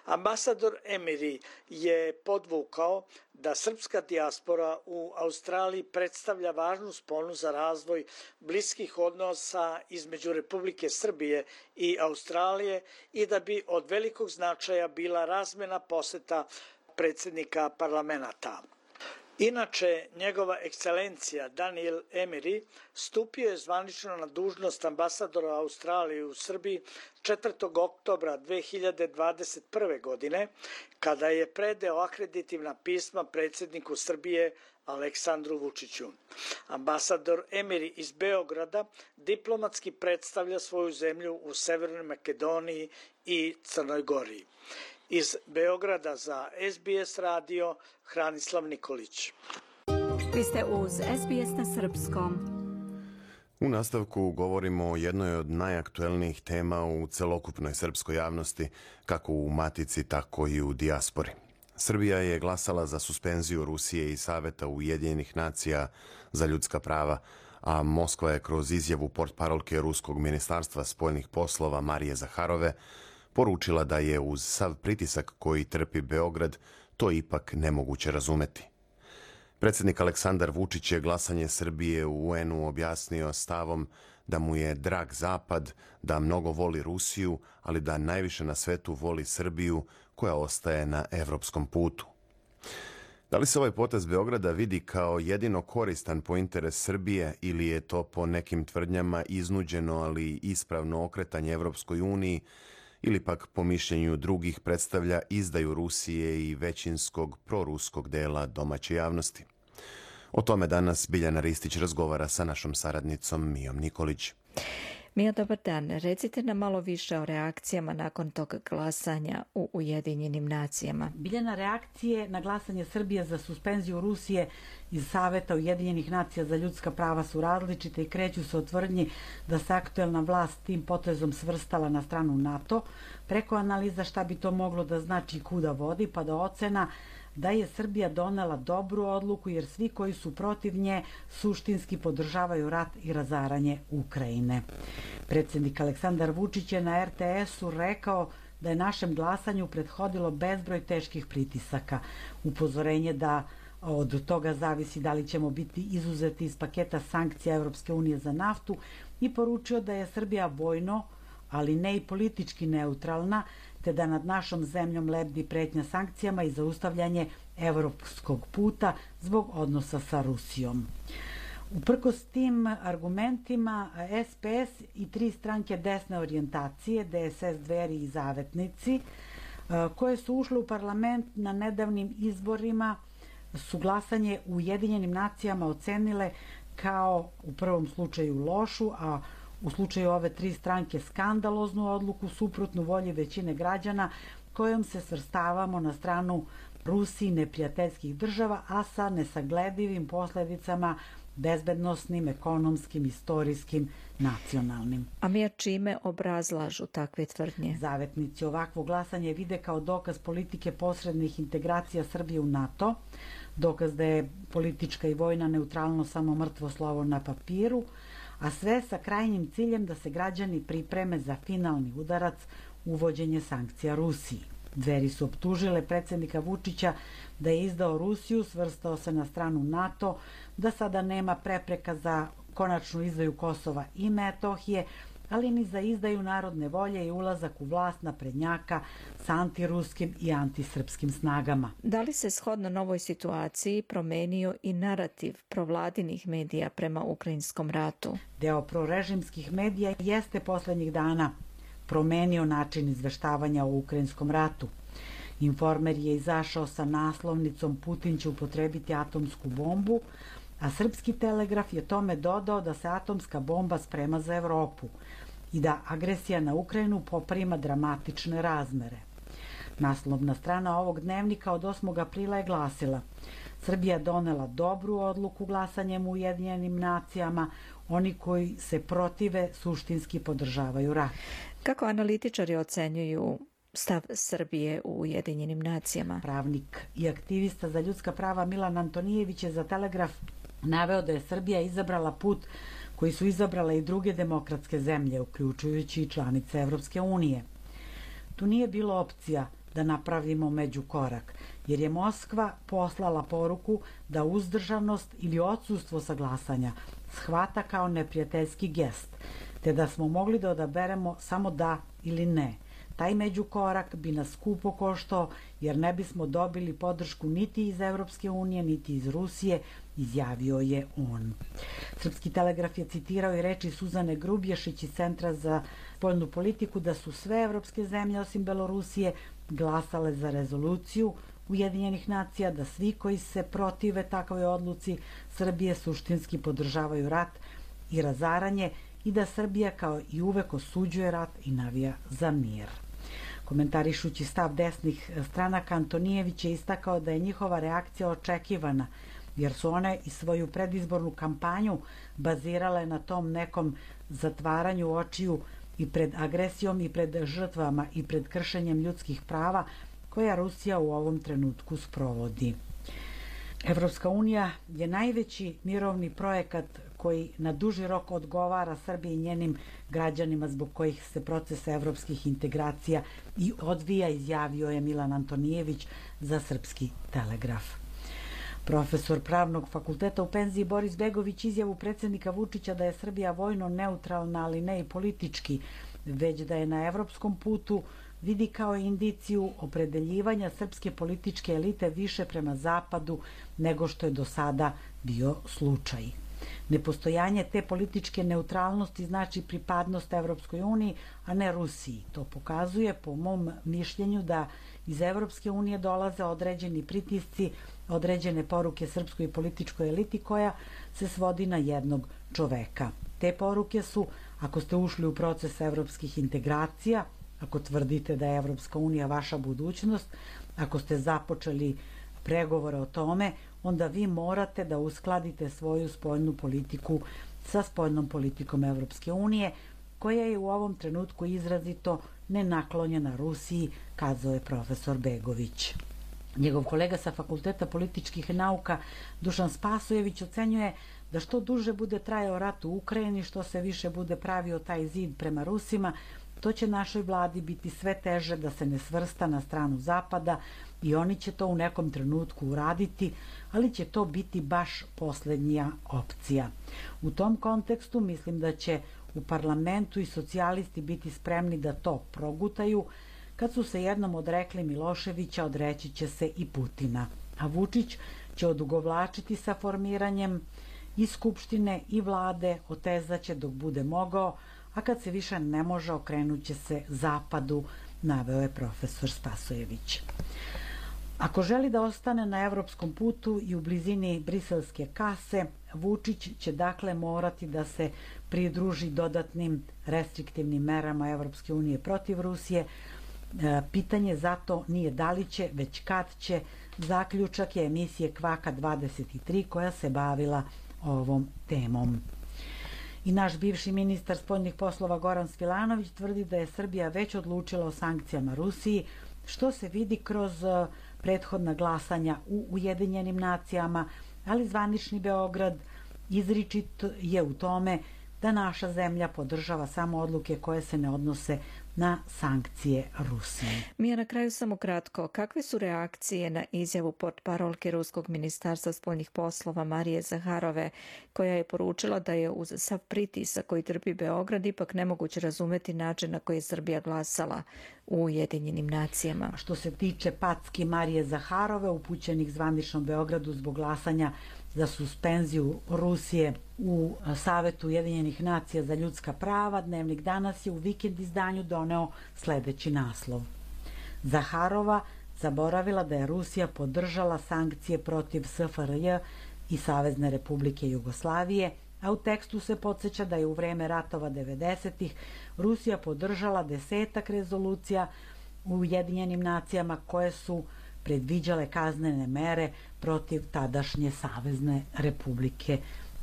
Ambasador Emery je podvukao da srpska dijaspora u Australiji predstavlja važnu sponu za razvoj bliskih odnosa između Republike Srbije i Australije i da bi od velikog značaja bila razmena poseta predsjednika parlamenta. Inače, njegova ekscelencija Daniel Emery stupio je zvanično na dužnost ambasadora Australije u Srbiji 4. oktobra 2021. godine, kada je predao akreditivna pisma predsjedniku Srbije Aleksandru Vučiću. Ambasador Emery iz Beograda diplomatski predstavlja svoju zemlju u Severnoj Makedoniji i Crnoj Gori. Iz Beograda za SBS radio Hranislav Nikolić. Vi ste uz SBS na srpskom. U nastavku govorimo o jednoj od najaktuelnijih tema u celokupnoj srpskoj javnosti, kako u matici, tako i u dijaspori. Srbija je glasala za suspenziju Rusije i Saveta Ujedinjenih nacija za ljudska prava, a Moskva je kroz izjavu portparolke Ruskog ministarstva spoljnih poslova Marije Zaharove poručila da je uz sav pritisak koji trpi Beograd to ipak nemoguće razumeti. Predsjednik Aleksandar Vučić je glasanje Srbije u UN-u objasnio stavom da mu je drag Zapad, da mnogo voli Rusiju, ali da najviše na svetu voli Srbiju koja ostaje na evropskom putu. Da li se ovaj potez Beograda vidi kao jedino koristan po interes Srbije ili je to po nekim tvrdnjama iznuđeno, ali ispravno okretanje Evropskoj uniji, ili pak po mišljenju drugih predstavlja izdaju Rusije i većinskog proruskog dela domaće javnosti? O tome danas Biljana Ristić razgovara sa našom saradnicom Mijom Nikolić. Mija, dobar dan. Recite nam malo više o reakcijama nakon tog glasanja u Ujedinjenim nacijama. Biljana, reakcije na glasanje Srbije za suspenziju Rusije iz Saveta Ujedinjenih nacija za ljudska prava su različite i kreću se od tvrdnji da se aktuelna vlast tim potezom svrstala na stranu NATO, preko analiza šta bi to moglo da znači i kuda vodi, pa do ocena da je Srbija donela dobru odluku jer svi koji su protiv nje suštinski podržavaju rat i razaranje Ukrajine. Predsjednik Aleksandar Vučić je na RTS-u rekao da je našem glasanju prethodilo bezbroj teških pritisaka. Upozorenje da od toga zavisi da li ćemo biti izuzeti iz paketa sankcija Evropske unije za naftu i poručio da je Srbija vojno, ali ne i politički neutralna, te da nad našom zemljom lebdi pretnja sankcijama i zaustavljanje evropskog puta zbog odnosa sa Rusijom. Uprkos tim argumentima, SPS i tri stranke desne orijentacije, DSS, Dveri i Zavetnici, koje su ušle u parlament na nedavnim izborima, su glasanje u Ujedinjenim nacijama ocenile kao u prvom slučaju lošu, a u slučaju ove tri stranke skandaloznu odluku suprotnu volji većine građana, kojom se svrstavamo na stranu Rusiji neprijateljskih država, a sa nesagledivim posledicama bezbednosnim, ekonomskim, istorijskim, nacionalnim. A mi čime obrazlažu takve tvrdnje? Zavetnici ovakvo glasanje vide kao dokaz politike posrednih integracija Srbije u NATO, dokaz da je politička i vojna neutralnost samo mrtvo slovo na papiru, a sve sa krajnjim ciljem da se građani pripreme za finalni udarac, uvođenje sankcija Rusiji. Dveri su optužile predsjednika Vučića da je izdao Rusiju, svrstao se na stranu NATO, da sada nema prepreka za konačnu izdaju Kosova i Metohije, ali ni za izdaju narodne volje i ulazak u vlast naprednjaka sa antiruskim i antisrpskim snagama. Da li se shodno novoj situaciji promenio i narativ provladinih medija prema ukrajinskom ratu? Deo prorežimskih medija jeste poslednjih dana promenio način izveštavanja o ukrajinskom ratu. Informer je izašao sa naslovnicom Putin će upotrebiti atomsku bombu, a Srpski telegraf je tome dodao da se atomska bomba sprema za Evropu i da agresija na Ukrajinu poprima dramatične razmere. Naslovna strana ovog dnevnika od 8. aprila je glasila: Srbija donela dobru odluku glasanjem u Ujedinjenim nacijama, oni koji se protive suštinski podržavaju rat. Kako analitičari ocenjuju stav Srbije u Ujedinjenim nacijama? Pravnik i aktivista za ljudska prava Milan Antonijević je za Telegraf naveo da je Srbija izabrala put koji su izabrale i druge demokratske zemlje, uključujući i članice Evropske unije. Tu nije bilo opcija da napravimo međukorak, jer je Moskva poslala poruku da uzdržanost ili odsustvo sa glasanja shvata kao neprijateljski gest, te da smo mogli da odaberemo samo da ili ne. Taj međukorak bi nas skupo koštao, jer ne bismo dobili podršku niti iz Evropske unije, niti iz Rusije, izjavio je on. Srpski telegraf je citirao i reči Suzane Grubješić iz Centra za spoljnu politiku da su sve evropske zemlje osim Belorusije glasale za rezoluciju Ujedinjenih nacija, da svi koji se protive takvoj odluci Srbije suštinski podržavaju rat i razaranje i da Srbija kao i uvek osuđuje rat i navija za mir. Komentarišući stav desnih stranaka, Antonijević je istakao da je njihova reakcija očekivana, jer su one i svoju predizbornu kampanju bazirale na tom nekom zatvaranju očiju i pred agresijom i pred žrtvama i pred kršenjem ljudskih prava koja Rusija u ovom trenutku sprovodi. Evropska unija je najveći mirovni projekat koji na duži rok odgovara Srbiji i njenim građanima, zbog kojih se proces evropskih integracija i odvija, izjavio je Milan Antonijević za Srpski telegraf. Profesor Pravnog fakulteta u penziji Boris Begović izjavu predsjednika Vučića da je Srbija vojno neutralna, ali ne i politički, već da je na evropskom putu, vidi kao indiciju opredeljivanja srpske političke elite više prema zapadu nego što je do sada bio slučaj. Nepostojanje te političke neutralnosti znači pripadnost Evropskoj uniji, a ne Rusiji. To pokazuje, po mom mišljenju, da iz Evropske unije dolaze određeni pritisci, određene poruke srpskoj političkoj eliti koja se svodi na jednog čoveka. Te poruke su: ako ste ušli u proces evropskih integracija, ako tvrdite da je Evropska unija vaša budućnost, ako ste započeli pregovore o tome, onda vi morate da uskladite svoju spoljnu politiku sa spoljnom politikom Evropske unije, koja je u ovom trenutku izrazito nenaklonjena Rusiji, kazao je profesor Begović. Njegov kolega sa Fakulteta političkih nauka Dušan Spasojević ocenjuje da što duže bude trajao rat u Ukrajini, što se više bude pravio taj zid prema Rusima, to će našoj vladi biti sve teže da se ne svrsta na stranu Zapada i oni će to u nekom trenutku uraditi, ali će to biti baš poslednja opcija. U tom kontekstu mislim da će u parlamentu i socijalisti biti spremni da to progutaju. Kad su se jednom odrekli Miloševića, odreći će se i Putina. A Vučić će odugovlačiti sa formiranjem i Skupštine i vlade, otezaće dok bude mogao, a kad se više ne može, okrenut će se Zapadu naveo je profesor Spasojević. Ako želi da ostane na evropskom putu i u blizini briselske kase, Vučić će dakle morati da se pridruži dodatnim restriktivnim merama Evropske unije protiv Rusije. Pitanje zato nije da li će, već kad će. Zaključak je emisije Kvaka 23 koja se bavila ovom temom. I naš bivši ministar spoljnih poslova Goran Svilanović tvrdi da je Srbija već odlučila o sankcijama Rusiji, što se vidi kroz prethodna glasanja u Ujedinjenim nacijama, ali zvanični Beograd izričit je u tome da naša zemlja podržava samo odluke koje se ne odnose na sankcije Rusije. Mija, na kraju samo kratko, kakve su reakcije na izjavu portparolke Ruskog ministarstva spoljnih poslova Marije Zaharove, koja je poručila da je uz sav pritisak koji trpi Beograd ipak nemoguće razumeti način na koji je Srbija glasala u Ujedinjenim nacijama? Što se tiče packi Marije Zaharove upućenih zvaničnom Beogradu zbog glasanja za suspenziju Rusije u Savetu Ujedinjenih nacija za ljudska prava, Dnevnik danas je u vikend izdanju doneo sledeći naslov. Zaharova zaboravila da je Rusija podržala sankcije protiv SFRJ i Savezne Republike Jugoslavije, a u tekstu se podsjeća da je u vreme ratova 90-ih Rusija podržala 10 rezolucija u Ujedinjenim nacijama koje su predviđale kaznene mere protiv tadašnje Savezne Republike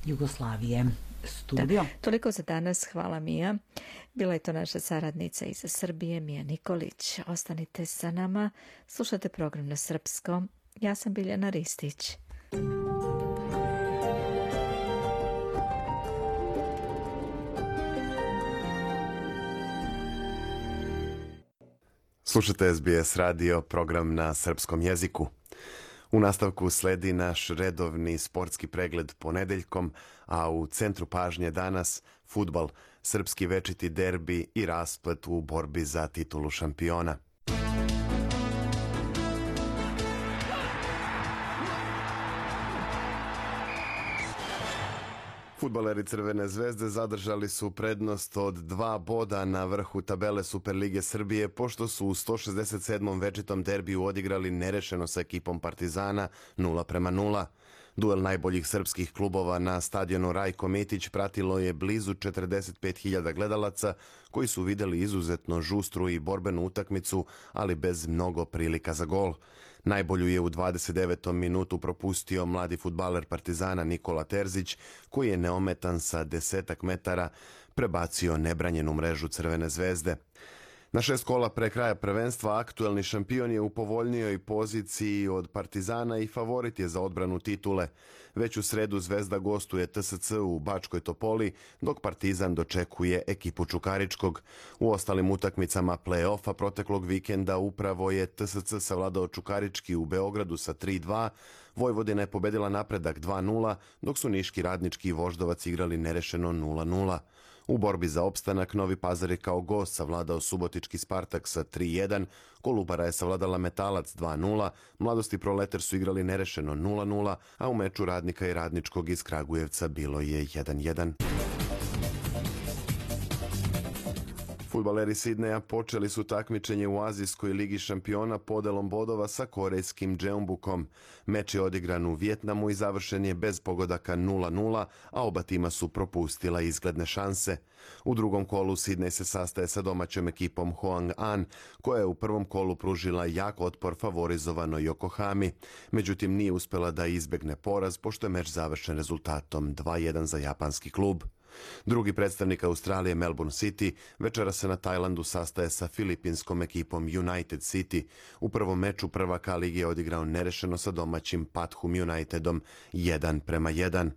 Jugoslavije. Studio. Da, toliko za danas. Hvala, Mija. Bila je to naša saradnica iz Srbije, Mija Nikolić. Ostanite sa nama. Slušate program na srpskom. Ja sam Biljana Ristić. Slušate SBS radio, program na srpskom jeziku. U nastavku sledi naš redovni sportski pregled ponedeljkom, a u centru pažnje danas fudbal, srpski večiti derbi i rasplet u borbi za titulu šampiona. Fudbaleri Crvene zvezde zadržali su prednost od 2 boda na vrhu tabele Superlige Srbije, pošto su u 167. večitom derbiju odigrali nerešeno sa ekipom Partizana 0:0. Duel najboljih srpskih klubova na stadionu Rajko Mitić pratilo je blizu 45.000 gledalaca koji su videli izuzetno žustru i borbenu utakmicu, ali bez mnogo prilika za gol. Najbolju je u 29. minutu propustio mladi fudbaler Partizana Nikola Terzić, koji je neometan sa 10 metara prebacio nebranjenu mrežu Crvene zvezde. Na 6 kola pre kraja prvenstva aktuelni šampion je u povoljnijoj poziciji od Partizana i favorit je za odbranu titule. Već u sredu Zvezda gostuje TSC u Bačkoj Topoli, dok Partizan dočekuje ekipu Čukaričkog. U ostalim utakmicama play-offa proteklog vikenda upravo je TSC savladao Čukarički u Beogradu sa 3:2, Vojvodina je pobedila Napredak 2:0, dok su Niški Radnički i Voždovac igrali nerešeno 0:0. U borbi za opstanak Novi Pazar je kao gost savladao Subotički Spartak sa 3:1, Kolubara je savladala Metalac 2:0, Mladosti Proleter su igrali nerešeno 0:0, a u meču Radnika i Radničkog iz Kragujevca bilo je 1:1. Fudbaleri Sidneja počeli su takmičenje u Azijskoj ligi šampiona podelom bodova sa korejskim Jeonbukom. Meč je odigran u Vijetnamu i završen je bez pogodaka 0:0, a oba tima su propustila izgledne šanse. U drugom kolu Sidnej se sastaje sa domaćom ekipom Hwang-an, koja je u prvom kolu pružila jak otpor favorizovanoj Yokohami. Međutim, nije uspela da izbegne poraz, pošto je meč završen rezultatom 2:1 za japanski klub. Drugi predstavnik Australije, Melbourne City, večera se na Tajlandu sastaje sa filipinskom ekipom United City. U prvom meču prvaka lige je odigrao nerešeno sa domaćim Pathum Unitedom 1:1.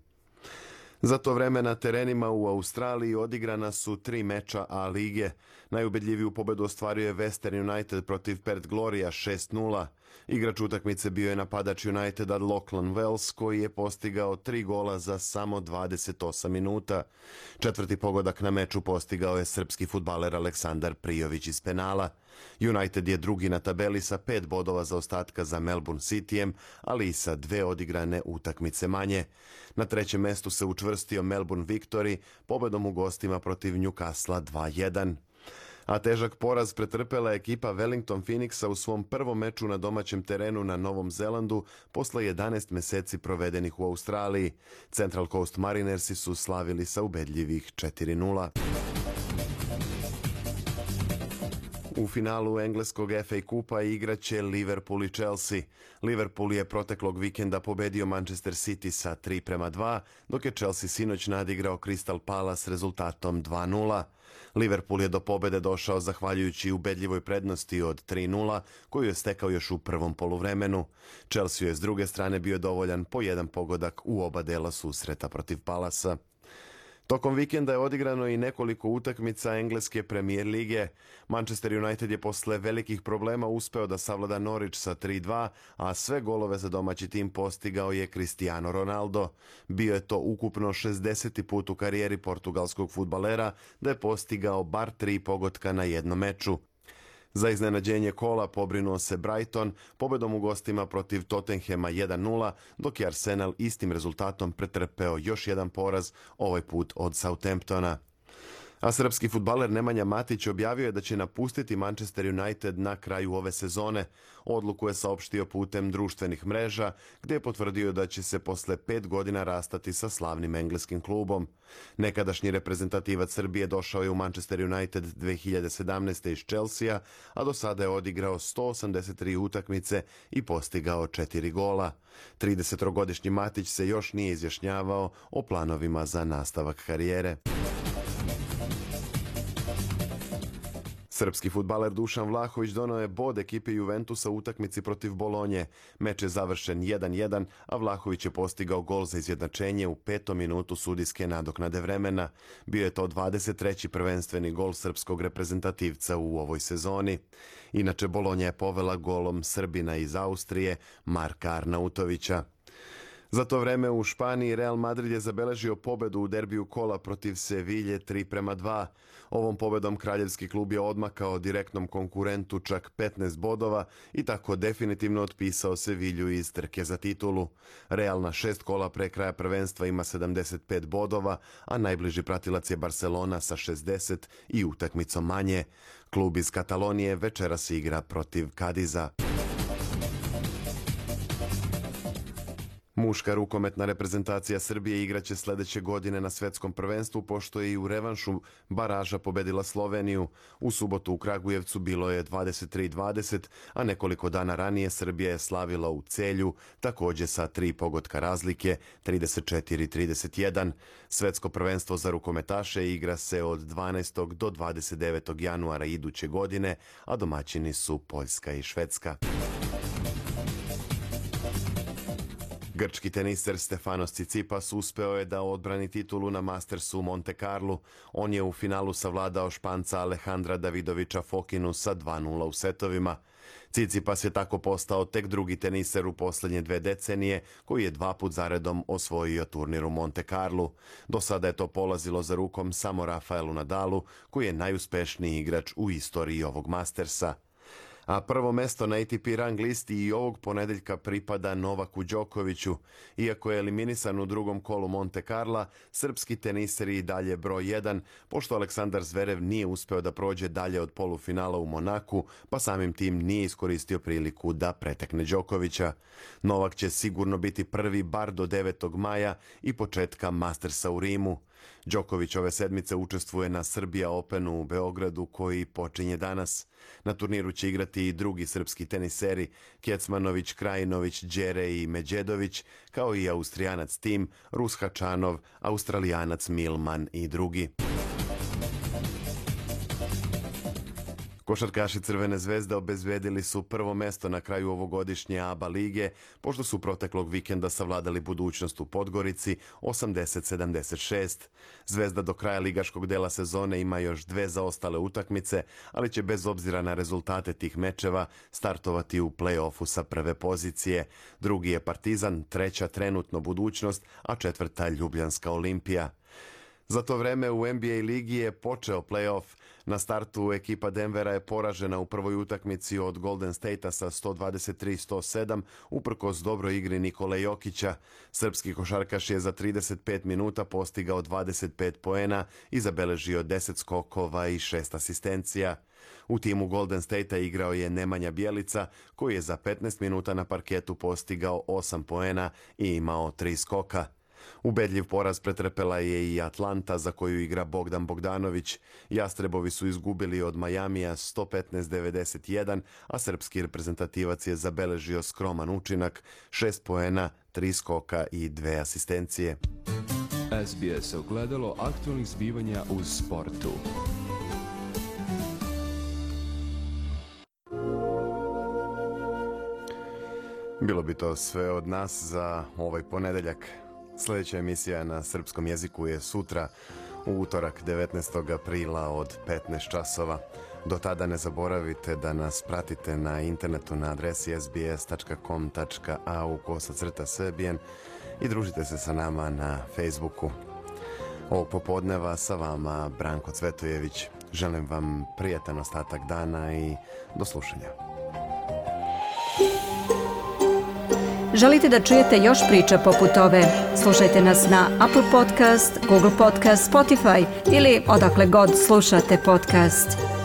Za to vreme na terenima u Australiji odigrana su 3 meča A lige. Najubedljiviju pobedu ostvario je Western United protiv Perth Gloria 6:0. Igrač utakmice bio je napadač Uniteda Lachlan Wells, koji je postigao 3 gola za samo 28 minuta. Četvrti pogodak na meču postigao je srpski fudbaler Aleksandar Prijović iz penala. United je drugi na tabeli sa 5 bodova zaostatka za Melbourne Cityjem, ali i sa 2 odigrane utakmice manje. Na trećem mestu se učvrstio Melbourne Victory pobedom u gostima protiv Newcastle 2:1. A težak poraz pretrpela je ekipa Wellington Phoenixa u svom prvom meču na domaćem terenu na Novom Zelandu posle 11 meseci provedenih u Australiji. Central Coast Marinersi su slavili sa ubedljivih 4:0. U finalu engleskog FA Kupa igraće Liverpool i Chelsea. Liverpool je proteklog vikenda pobedio Manchester City sa 3:2, dok je Chelsea sinoć nadigrao Crystal Palace rezultatom 2:0. Liverpool je do pobede došao zahvaljujući ubedljivoj prednosti od 3:0, koju je stekao još u prvom poluvremenu. Chelsea je s druge strane bio dovoljan po jedan pogodak u oba dela susreta protiv Palasa. Tokom vikenda je odigrano i nekoliko utakmica engleske premijer lige. Manchester United je posle velikih problema uspeo da savlada Norwich sa 3:2, a sve golove za domaći tim postigao je Cristiano Ronaldo. Bio je to ukupno 60. put u karijeri portugalskog fudbalera da je postigao bar 3 pogotka na jednom meču. Za iznenađenje kola pobrinuo se Brighton pobedom u gostima protiv Tottenhama 1:0, dok je Arsenal istim rezultatom pretrpeo još jedan poraz, ovaj put od Southamptona. A srpski fudbaler Nemanja Matić objavio je da će napustiti Manchester United na kraju ove sezone. Odluku je saopštio putem društvenih mreža, gdje je potvrdio da će se posle 5 godina rastati sa slavnim engleskim klubom. Nekadašnji reprezentativac Srbije došao je u Manchester United 2017. iz Chelsea, a do sada je odigrao 183 utakmice i postigao 4 gola. 30-godišnji Matić se još nije izjašnjavao o planovima za nastavak karijere. Srpski fudbaler Dušan Vlahović doneo je bod ekipe Juventusa u utakmici protiv Bolonje. Meč je završen 1:1, a Vlahović je postigao gol za izjednačenje u 5. minutu sudijske nadoknade vremena. Bio je to 23. prvenstveni gol srpskog reprezentativca u ovoj sezoni. Inače, Bolonja je povela golom Srbina iz Austrije, Marka Arnautovića. Za to vreme u Španiji Real Madrid je zabeležio pobedu u derbiju kola protiv Sevilje 3:2. Ovom pobedom kraljevski klub je odmakao direktnom konkurentu čak 15 bodova i tako definitivno otpisao Sevilju iz trke za titulu. Real na 6 kola pre kraja prvenstva ima 75 bodova, a najbliži pratilac je Barcelona sa 60 i utakmicom manje. Klub iz Katalonije večeras igra protiv Kadiza. Muška rukometna reprezentacija Srbije igraće sledeće godine na svetskom prvenstvu, pošto je i u revanšu baraža pobedila Sloveniju. U subotu u Kragujevcu bilo je 23:20, a nekoliko dana ranije Srbija je slavila u Celju, takođe sa 3 pogotka razlike, 34-31. Svetsko prvenstvo za rukometaše igra se od 12. do 29. januara iduće godine, a domaćini su Poljska i Švedska. Grčki teniser Stefanos Tsitsipas uspeo je da odbrani titulu na Mastersu u Monte Carlu. On je u finalu savladao Španca Alejandra Davidovića Fokinu sa 2:0 u setovima. Tsitsipas je tako postao tek drugi teniser u poslednje 2 decenije koji je 2 put zaredom osvojio turnir u Monte Carlu. Do sada je to polazilo za rukom samo Rafaelu Nadalu, koji je najuspešniji igrač u istoriji ovog Mastersa. A prvo mesto na ATP rang listi i ovog ponedeljka pripada Novaku Đokoviću. Iako je eliminisan u drugom kolu Monte Carla, srpski teniser je i dalje broj 1, pošto Aleksandar Zverev nije uspeo da prođe dalje od polufinala u Monaku, pa samim tim nije iskoristio priliku da pretekne Đokovića. Novak će sigurno biti prvi bar do 9. maja i početka Mastersa u Rimu. Đoković ove sedmice učestvuje na Serbia Openu u Beogradu koji počinje danas. Na turniru će igrati i drugi srpski teniseri Kecmanović, Krajinović, Đere i Međedović, kao i Austrijanac Tim, Rus Hačanov, Australijanac Milman i drugi. Košarkaši Crvene zvezde obezbedili su prvo mesto na kraju ovogodišnje ABA lige, pošto su proteklog vikenda savladali Budućnost u Podgorici 80-76. Zvezda do kraja ligaškog dela sezone ima još 2 zaostale utakmice, ali će bez obzira na rezultate tih mečeva startovati u play-offu sa prve pozicije. Drugi je Partizan, treća trenutno Budućnost, a četvrta Ljubljanska Olimpija. Za to vreme u NBA ligi je počeo play-off. Na startu ekipa Denvera je poražena u prvoj utakmici od Golden State-a sa 123-107 uprkos dobroj igri Nikole Jokića. Srpski košarkaš je za 35 minuta postigao 25 poena i zabeležio 10 skokova i 6 asistencija. U timu Golden State-a igrao je Nemanja Bjelica, koji je za 15 minuta na parketu postigao 8 poena i imao 3 skoka. Ubedljiv poraz pretrpela je i Atlanta, za koju igra Bogdan Bogdanović. Jastrebovi su izgubili od Majamija 115-91, a srpski reprezentativac je zabeležio skroman učinak, 6 poena, 3 skoka i 2 asistencije. SBS ogledalo aktualnih zbivanja u sportu. Bilo bi to sve od nas za ovaj ponedeljak. Sljedeća emisija na srpskom jeziku je sutra, u utorak 19. aprila od 15 časova. Do tada ne zaboravite da nas pratite na internetu na adresi sbs.com.au/srbijen i družite se sa nama na Facebooku. Ovog popodneva sa vama Branko Cvetojević. Želim vam prijatan ostatak dana i do slušanja. Želite da čujete još priča poput ove? Slušajte nas na Apple Podcast, Google Podcast, Spotify ili odakle god slušate podcast.